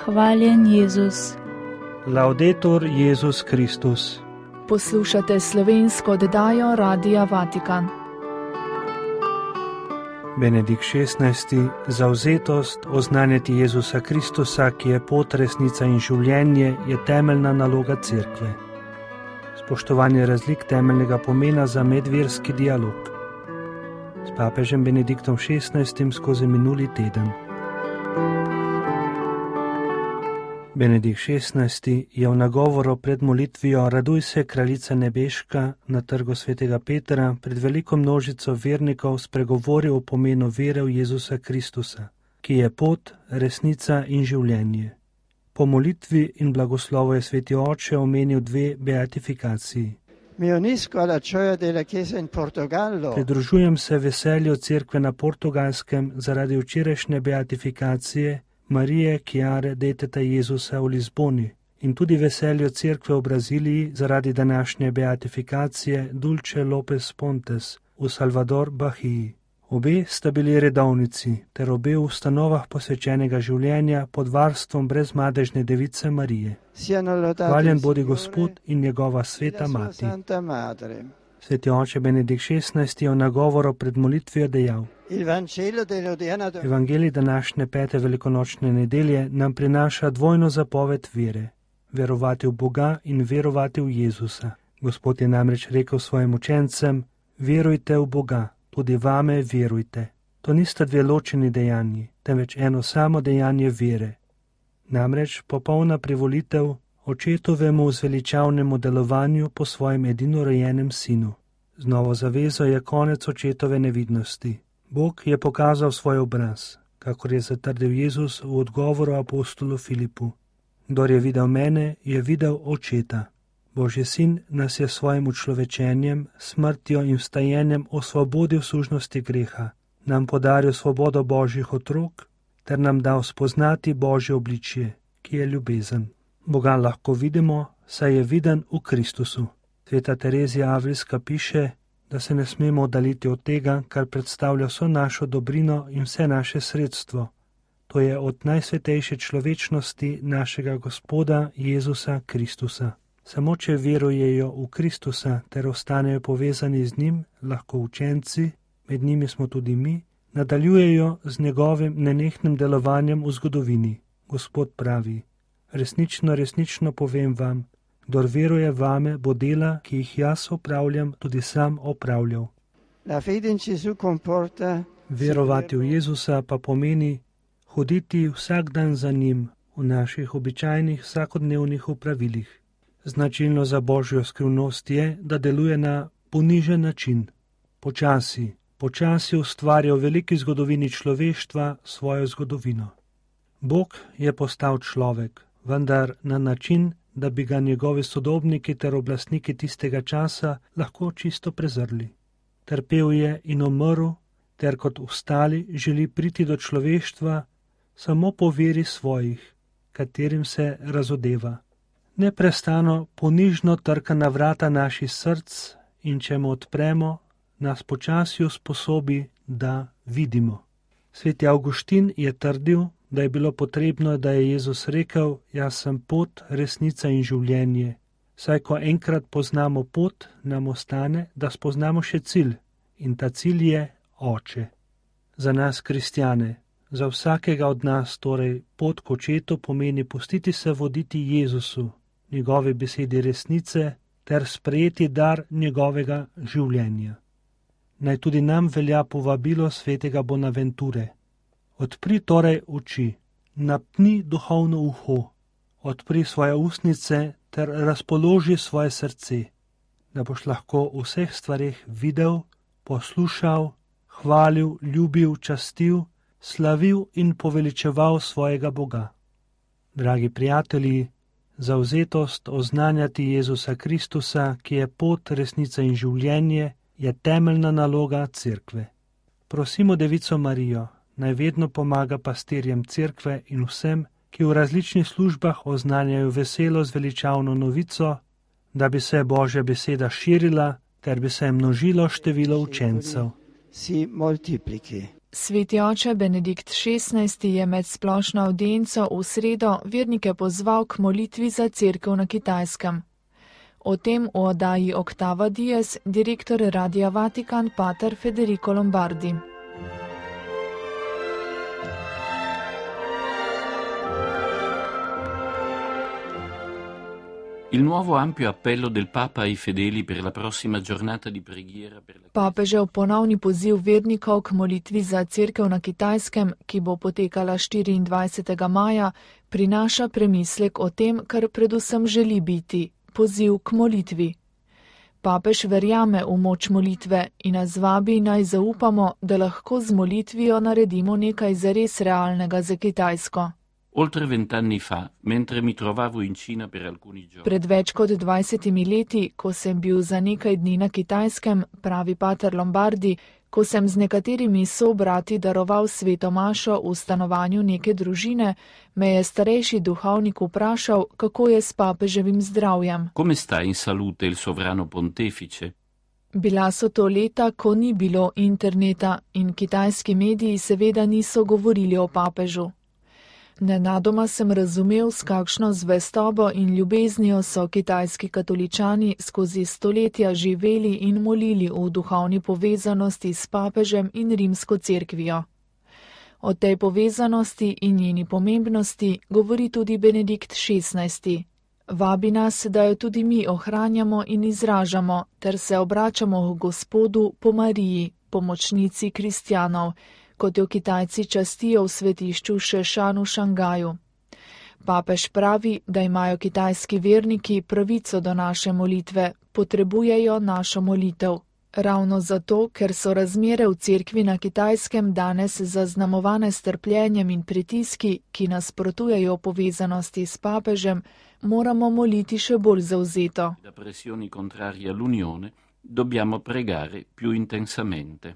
Hvaljen Jezus. Laudetur Jezus Kristus. Poslušate slovensko oddajo Radia Vatikan. Benedikt XVI. Zavzetost oznanjati Jezusa Kristusa, ki je pot, resnica in življenje, je temeljna naloga Cerkve. Spoštovanje razlik temeljnega pomena za medverski dialog. S papežem Benediktom XVI. Skozi minuli teden. Benedikt XVI. Je v nagovoru pred molitvijo Raduj se, kraljica nebeška, na trgu svetega Petra pred veliko množico vernikov spregovoril o pomenu vere v Jezusa Kristusa, ki je pot, resnica in življenje. Po molitvi in blagoslovu je sveti oče omenil dve beatifikaciji. Pridružujem se veselju Cerkve na Portugalskem zaradi včerajšnje beatifikacije Marije Chiare Deteta Jezusa v Lizboni in tudi veselju Cerkve v Braziliji zaradi današnje beatifikacije Dulce Lopes Pontes v Salvador Bahiji. Obe sta bili redovnici ter obe v ustanovah posvečenega življenja pod varstvom brezmadežne device Marije. Hvaljen bodi Gospod in njegova sveta mati. Sveti oče Benedikt XVI. Je v nagovoru pred molitvijo dejal: Evangelij današnje 5. velikonočne nedelje nam prinaša dvojno zapoved vere, verovati v Boga in verovati v Jezusa. Gospod je namreč rekel svojim učencem: verujte v Boga, tudi vame verujte. To nista dve ločeni dejanji, temveč eno samo dejanje vere. Namreč popolna privolitev očetovemu zveličavnemu delovanju po svojem edinorojenem sinu. Z novo zavezo je konec očetove nevidnosti. Bog je pokazal svoj obraz, kakor je zatrdil Jezus v odgovoru apostolu Filipu. Kdor je videl mene, je videl očeta. Božji sin nas je svojim učlovečenjem, smrtjo in vstajenjem osvobodil sužnosti greha, nam podaril svobodo Božjih otrok ter nam dal spoznati Božje obličje, ki je ljubezen. Boga lahko vidimo, saj je viden v Kristusu. Sveta Terezija Avlijska piše, da se ne smemo oddaliti od tega, kar predstavlja vso našo dobrino in vse naše sredstvo. To je od najsvetejše človečnosti našega Gospoda Jezusa Kristusa. Samo če verujejo v Kristusa ter ostanejo povezani z njim, lahko učenci, med njimi smo tudi mi, nadaljujejo z njegovim nenehnim delovanjem v zgodovini. Gospod pravi: resnično, resnično povem vam, kdor veruje vame, bo dela, ki jih jaz opravljam, tudi sam opravljal. Verovati v Jezusa pa pomeni hoditi vsak dan za njim v naših običajnih vsakodnevnih opravilih. Značilno za Božjo skrivnost je, da deluje na ponižen način. Počasi ustvarja v veliki zgodovini človeštva svojo zgodovino. Bog je postal človek, vendar na način, da bi ga njegovi sodobniki ter oblastniki tistega časa lahko čisto prezrli. Trpel je in umrl, ter kot ostali želi priti do človeštva samo po veri svojih, katerim se razodeva. Neprestano ponižno trka na vrata naših src in če mu odpremo, nas počasi usposobi, da vidimo. Sveti Avguštin je trdil, da je bilo potrebno, da je Jezus rekel: jaz sem pot, resnica in življenje. Saj ko enkrat poznamo pot, nam ostane, da spoznamo še cilj, in ta cilj je Oče. Za nas kristjane, za vsakega od nas torej pot k očetu pomeni pustiti se voditi Jezusu, njegovi besedi resnice ter sprejeti dar njegovega življenja. Naj tudi nam velja povabilo svetega Bonaventure. Odpri torej oči, napni duhovno uho, odpri svoje ustnice ter razpoloži svoje srce, da boš lahko v vseh stvareh videl, poslušal, hvalil, ljubil, častil, slavil in poveličeval svojega Boga. Dragi prijatelji, zavzetost oznanjati Jezusa Kristusa, ki je pot, resnica in življenje, je temeljna naloga Cerkve. Prosimo Devico Marijo, naj vedno pomaga pastirjem Cerkve in vsem, ki v različnih službah oznanjajo veselo zveličavno novico, da bi se Božja beseda širila ter bi se množilo število učencev. Sveti oče Benedikt XVI je med splošno avdienco v sredo vernike pozval k molitvi za cerkev na Kitajskem. O tem v oddaji Octava Dies direktor Radia Vatikan pater Federico Lombardi. Il nuovo ampio appello del Papa ai fedeli per la prossima giornata di preghiera per la Papežev ponovni poziv vernikov k molitvi za cerkev na Kitajskem, ki bo potekala 24. maja, prinaša premislek o tem, kar predvsem želi biti, poziv k molitvi. Papež verjame v moč molitve in nas vabi naj zaupamo, da lahko z molitvijo naredimo nekaj zares realnega za Kitajsko. Oltre 20 anni fa, mentre mi trovavo in Cina per alcuni giorni. Pred več kot 20 leti, ko sem bil za nekaj dni na Kitajskem, pravi pater Lombardi, ko sem z nekaterimi sobrati daroval sveto mašo v stanovanju neke družine, me je starejši duhovnik vprašal, kako je s papeževim zdravjem. Come sta in salute il sovrano pontefice? Bila so to leta, ko ni bilo interneta in kitajski mediji seveda niso govorili o papežu. Nenadoma sem razumel, s kakšno zvestobo in ljubeznijo so kitajski katoličani skozi stoletja živeli in molili v duhovni povezanosti s papežem in rimsko cerkvijo. O tej povezanosti in njeni pomembnosti govori tudi Benedikt XVI. Vabi nas, da jo tudi mi ohranjamo in izražamo, ter se obračamo k Gospodu po Mariji, pomočnici kristjanov, kot jo Kitajci častijo v svetišču Šešan v Šangaju. Papež pravi, da imajo kitajski verniki pravico do naše molitve, potrebujejo našo molitev. Ravno zato, ker so razmere v cerkvi na Kitajskem danes zaznamovane s trpljenjem in pritiski, ki nasprotujejo povezanosti s papežem, moramo moliti še bolj zavzeto. Da pressioni contrarie all'unione, dobbiamo pregare più intensamente.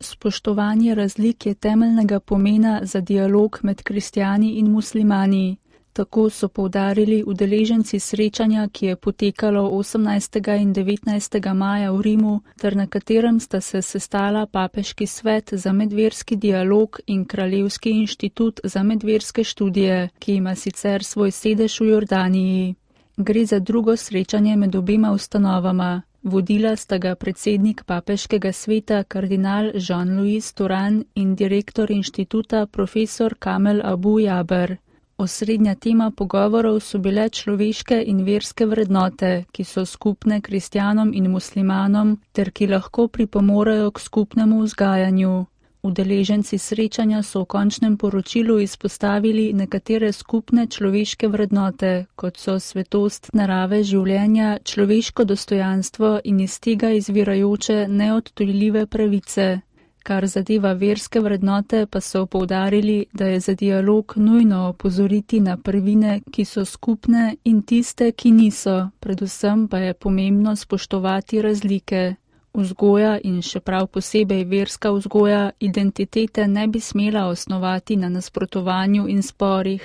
Spoštovanje razlik je temeljnega pomena za dialog med kristjani in muslimani. Tako so poudarili udeleženci srečanja, ki je potekalo 18. in 19. maja v Rimu, ter na katerem sta se sestala Papeški svet za medverski dialog in Kraljevski inštitut za medverske študije, ki ima sicer svoj sedež v Jordaniji. Gre za drugo srečanje med obema ustanovama. Vodila sta ga predsednik Papeškega sveta kardinal Jean-Louis Turan in direktor inštituta profesor Kamel Abu Jaber. Osrednja tema pogovorov so bile človeške in verske vrednote, ki so skupne kristjanom in muslimanom ter ki lahko pripomorejo k skupnemu vzgajanju. Udeleženci srečanja so v končnem poročilu izpostavili nekatere skupne človeške vrednote, kot so svetost narave življenja, človeško dostojanstvo in iz tega izvirajoče neodtujljive pravice. Kar zadeva verske vrednote, pa so poudarili, da je za dialog nujno opozoriti na prvine, ki so skupne in tiste, ki niso, predvsem pa je pomembno spoštovati razlike. Vzgoja in še prav posebej verska vzgoja identitete ne bi smela osnovati na nasprotovanju in sporih.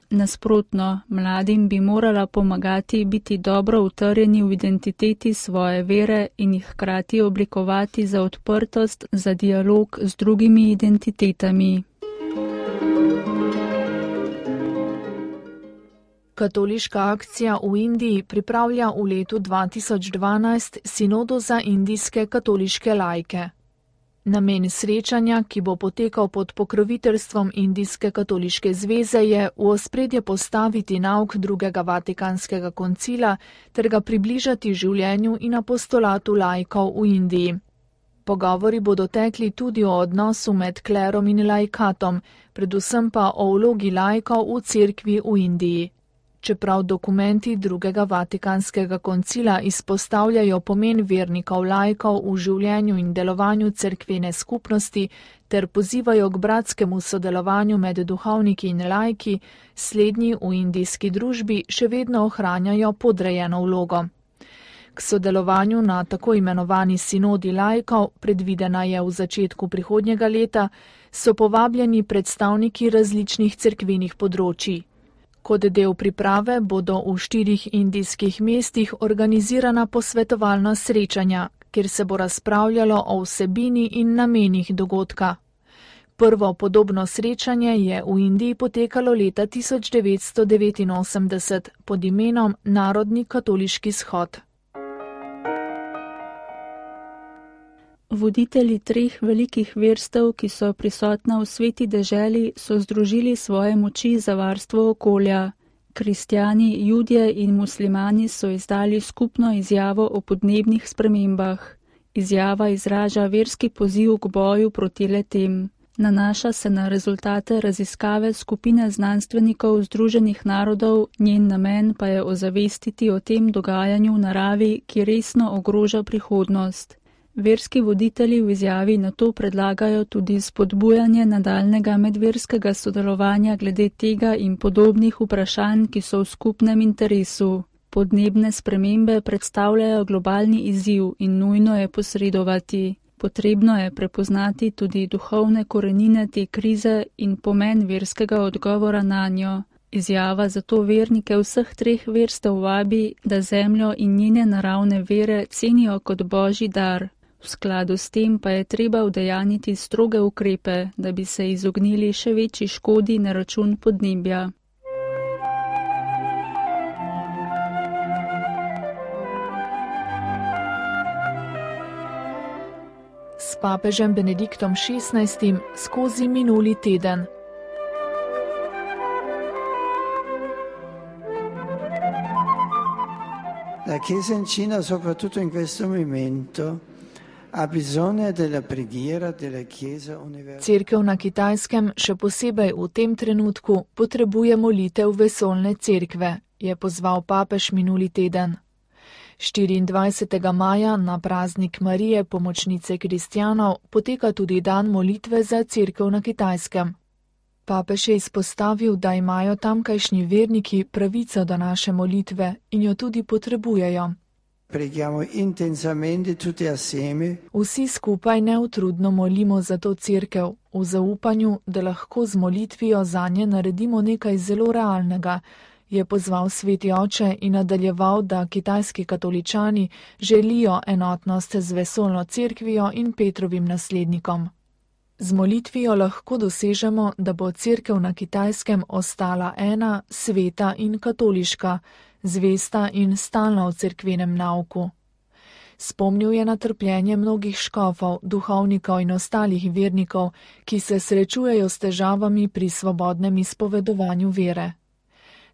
Nasprotno, mladim bi morala pomagati biti dobro utrjeni v identiteti svoje vere in jih hkrati oblikovati za odprtost, za dialog z drugimi identitetami. Katoliška akcija v Indiji pripravlja v letu 2012 sinodo za indijske katoliške laike. Namen srečanja, ki bo potekal pod pokroviteljstvom Indijske katoliške zveze, je v ospredje postaviti nauk drugega vatikanskega koncila ter ga približati življenju in apostolatu laikov v Indiji. Pogovori bodo tekli tudi o odnosu med klerom in laikatom, predvsem pa o vlogi laikov v cerkvi v Indiji. Čeprav dokumenti drugega vatikanskega koncila izpostavljajo pomen vernikov laikov v življenju in delovanju cerkvene skupnosti ter pozivajo k bratskemu sodelovanju med duhovniki in laiki, slednji v indijski družbi še vedno ohranjajo podrejeno vlogo. K sodelovanju na tako imenovani sinodi laikov, predvidena je v začetku prihodnjega leta, so povabljeni predstavniki različnih cerkvenih področij. Kot del priprave bodo v 4 indijskih mestih organizirana posvetovalna srečanja, kjer se bo razpravljalo o vsebini in namenih dogodka. Prvo podobno srečanje je v Indiji potekalo leta 1989 pod imenom Narodni katoliški shod. Voditelji 3 velikih verstev, ki so prisotna v sveti deželi, so združili svoje moči za varstvo okolja. Kristjani, Judje in muslimani so izdali skupno izjavo o podnebnih spremembah. Izjava izraža verski poziv k boju proti le-tem. Nanaša se na rezultate raziskave skupine znanstvenikov Združenih narodov, njen namen pa je ozavestiti o tem dogajanju v naravi, ki resno ogroža prihodnost. Verski voditelji v izjavi na to predlagajo tudi spodbujanje nadaljnega medverskega sodelovanja glede tega in podobnih vprašanj, ki so v skupnem interesu. Podnebne spremembe predstavljajo globalni izziv in nujno je posredovati. Potrebno je prepoznati tudi duhovne korenine te krize in pomen verskega odgovora nanjo. Izjava zato vernike vseh 3 verstev vabi, da zemljo in njene naravne vere cenijo kot božji dar. V skladu s tem pa je treba udejaniti stroge ukrepe, da bi se izognili še večji škodi na račun podnebja. S papežem Benediktom XVI skozi minuli teden. La Chiesa in Cina, soprattutto in questo momento, ha bisogno della preghiera della Chiesa universale. Cerkev na Kitajskem, še posebej v tem trenutku, potrebuje molitev vesoljne cerkve, je pozval papež minuli teden. 24. maja na praznik Marije, pomočnice kristjanov, poteka tudi dan molitve za cerkev na Kitajskem. Papež je izpostavil, da imajo tamkajšnji verniki pravico do naše molitve in jo tudi potrebujejo. Preghiamo intensamente tutti assieme. Vsi skupaj neutrudno molimo za to cerkev, v zaupanju, da lahko z molitvijo zanje naredimo nekaj zelo realnega, je pozval sveti oče in nadaljeval, da kitajski katoličani želijo enotnost z vesoljno cerkvijo in Petrovim naslednikom. Z molitvijo lahko dosežemo, da bo cerkev na Kitajskem ostala ena, sveta in katoliška, zvesta in stalna v cerkvenem nauku. Spomnil je na trpljenje mnogih škofov, duhovnikov in ostalih vernikov, ki se srečujejo s težavami pri svobodnem izpovedovanju vere.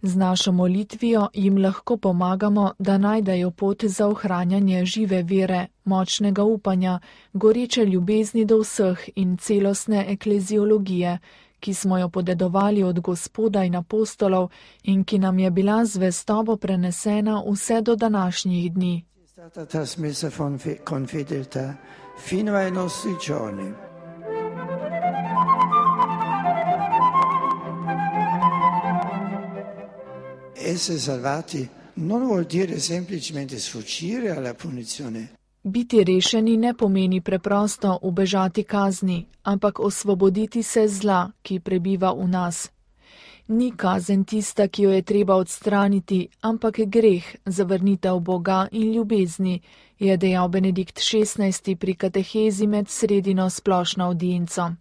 Z našo molitvijo jim lahko pomagamo, da najdejo pot za ohranjanje žive vere, močnega upanja, goreče ljubezni do vseh in celostne ekleziologije, ki smo jo podedovali od Gospoda in apostolov in ki nam je bila zvestobo prenesena vse do današnjih dni. Essere salvati non vuol dire semplicemente sfuggire alla punizione. Biti rešeni ne pomeni preprosto ubežati kazni, ampak osvoboditi se zla, ki prebiva v nas. Ni kazen tista, ki jo je treba odstraniti, ampak greh, zavrnitev Boga in ljubezni, je dejal Benedikt XVI pri katehezi med sredino splošno avdienco.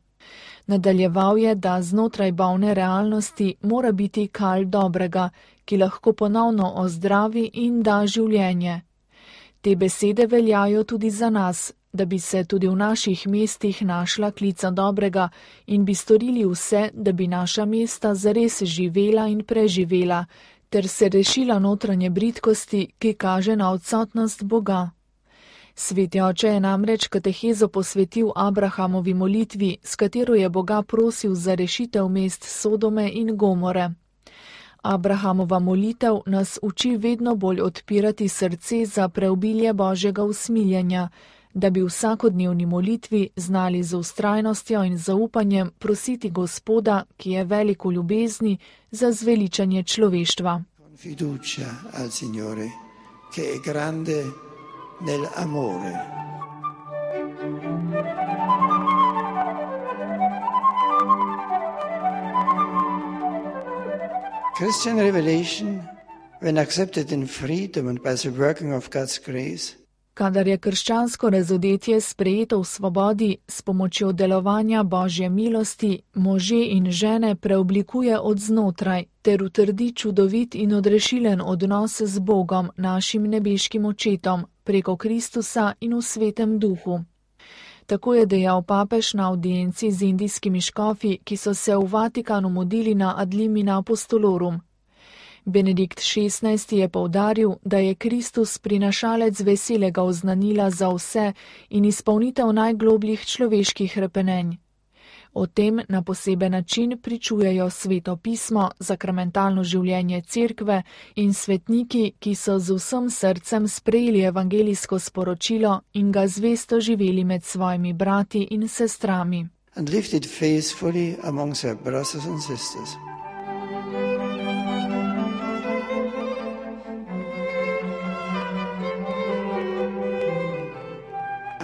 Nadaljeval je, da znotraj bolne realnosti mora biti kal dobrega, ki lahko ponovno ozdravi in da življenje. Te besede veljajo tudi za nas, da bi se tudi v naših mestih našla klica dobrega in bi storili vse, da bi naša mesta zares živela in preživela, ter se rešila notranje bridkosti, ki kaže na odsotnost Boga. Sveti oče je namreč katehezo posvetil Abrahamovi molitvi, s katero je Boga prosil za rešitev mest Sodome in Gomore. Abrahamova molitev nas uči vedno bolj odpirati srce za preobilje Božjega usmiljenja, da bi v vsakodnevni molitvi znali z vztrajnostjo in zaupanjem prositi Gospoda, ki je velik v ljubezni, za zveličanje človeštva. Fiducia al Signore, che è grande nell'amore. Christian revelation, when accepted in freedom and by the working of God's grace, Kadar je krščansko razodetje sprejeto v svobodi, s pomočjo delovanja Božje milosti, može in žene preoblikuje od znotraj, ter utrdi čudovit in odrešilen odnos z Bogom, našim nebeškim očetom, preko Kristusa in v Svetem Duhu. Tako je dejal papež na audienci z indijskimi škofi, ki so se v Vatikanu mudili na Ad limina apostolorum. Benedikt XVI je poudaril, da je Kristus prinašalec veselega oznanila za vse in izpolnitev najglobljih človeških hrepenenj. O tem na poseben način pričujejo Sveto pismo, sakramentalno življenje cerkve in svetniki, ki so z vsem srcem sprejeli evangelijsko sporočilo in ga zvesto živeli med svojimi brati in sestrami. And lived it faithfully among their brothers and sisters.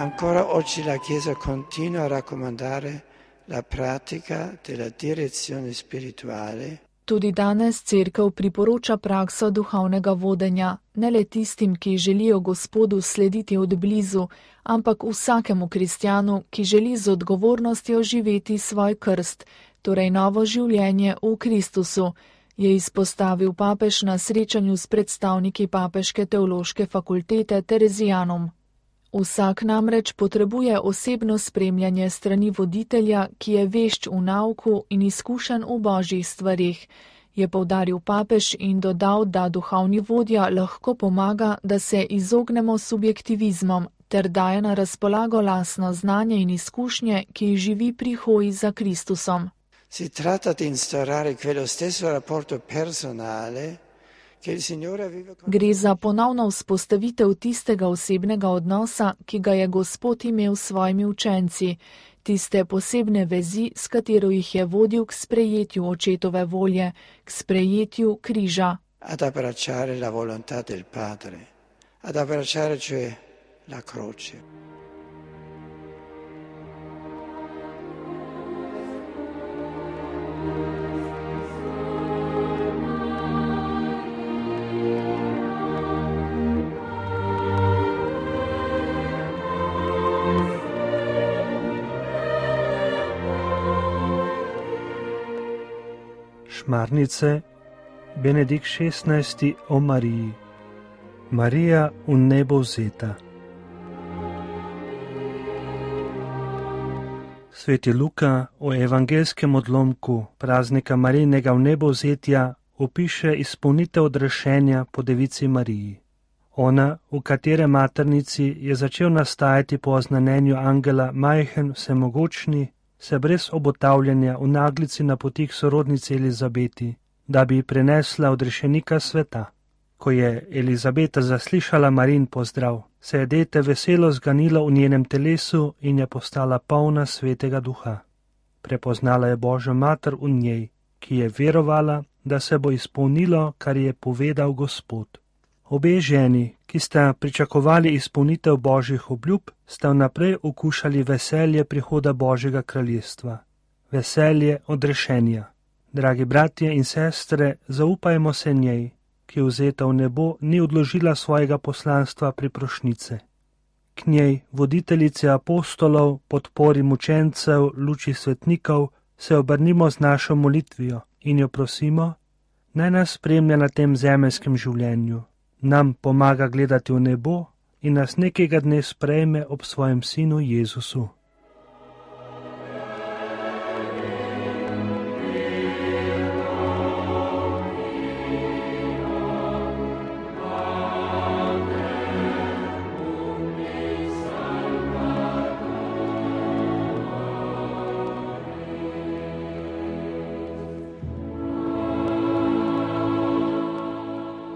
Ancora oggi la Chiesa continua a raccomandare la pratica della direzione spirituale. Tudi danes cerkev priporoča prakso duhovnega vodenja, ne le tistim, ki želijo Gospodu slediti od blizu, ampak vsakemu kristjanu, ki želi z odgovornostjo živeti svoj krst, torej novo življenje v Kristusu, je izpostavil papež na srečanju s predstavniki Papeške teološke fakultete Terezijanom. Vsak namreč potrebuje osebno spremljanje strani voditelja, ki je vešč v nauku in izkušen v božjih stvarih, je poudaril papež in dodal, da duhovni vodja lahko pomaga, da se izognemo subjektivizmom ter daje na razpolago lastno znanje in izkušnje, ki jih živi pri hoji za Kristusom. Si tratta di instaurare quello stesso rapporto personale. Gre za ponovno vzpostavitev tistega osebnega odnosa, ki ga je Gospod imel s svojimi učenci, tiste posebne vezi, s katero jih je vodil k sprejetju očetove volje, k sprejetju križa. Ad abbracciare la volontà del Padre, ad abbracciare cioè la croce. Šmarnice, Benedikt XVI o Mariji. Marija v nebo vzeta. Sveti Luka o evangelskem odlomku praznika Marijinega vnebovzetja opiše izpolnitev odrešenja po devici Mariji. Ona, v katere maternici je začel nastajati po oznanjenju angela majhen vsemogočni, se brez obotavljanja v naglici napoti k sorodnici Elizabeti, da bi prenesla odrešenika sveta. Ko je Elizabeta zaslišala Marijin pozdrav, se je dete veselo zganilo v njenem telesu in je postala polna svetega duha. Prepoznala je Božjo mater v njej, ki je verovala, da se bo izpolnilo, kar je povedal Gospod. Obe ženi, ki sta pričakovali izpolnitev Božjih obljub, sta vnaprej okušali veselje prihoda Božjega kraljestva, veselje odrešenja. Dragi bratje in sestre, zaupajmo se njej, ki vzeta v nebo ni odložila svojega poslanstva priprošnice. K njej, voditeljice apostolov, podpori mučencev, luči svetnikov, se obrnimo z našo molitvijo in jo prosimo, naj nas spremlja na tem zemeljskem življenju, nam pomaga gledati v nebo in nas nekega dne sprejme ob svojem sinu Jezusu.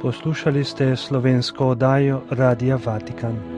Poslušali ste slovensko oddajo Radia Vatikan.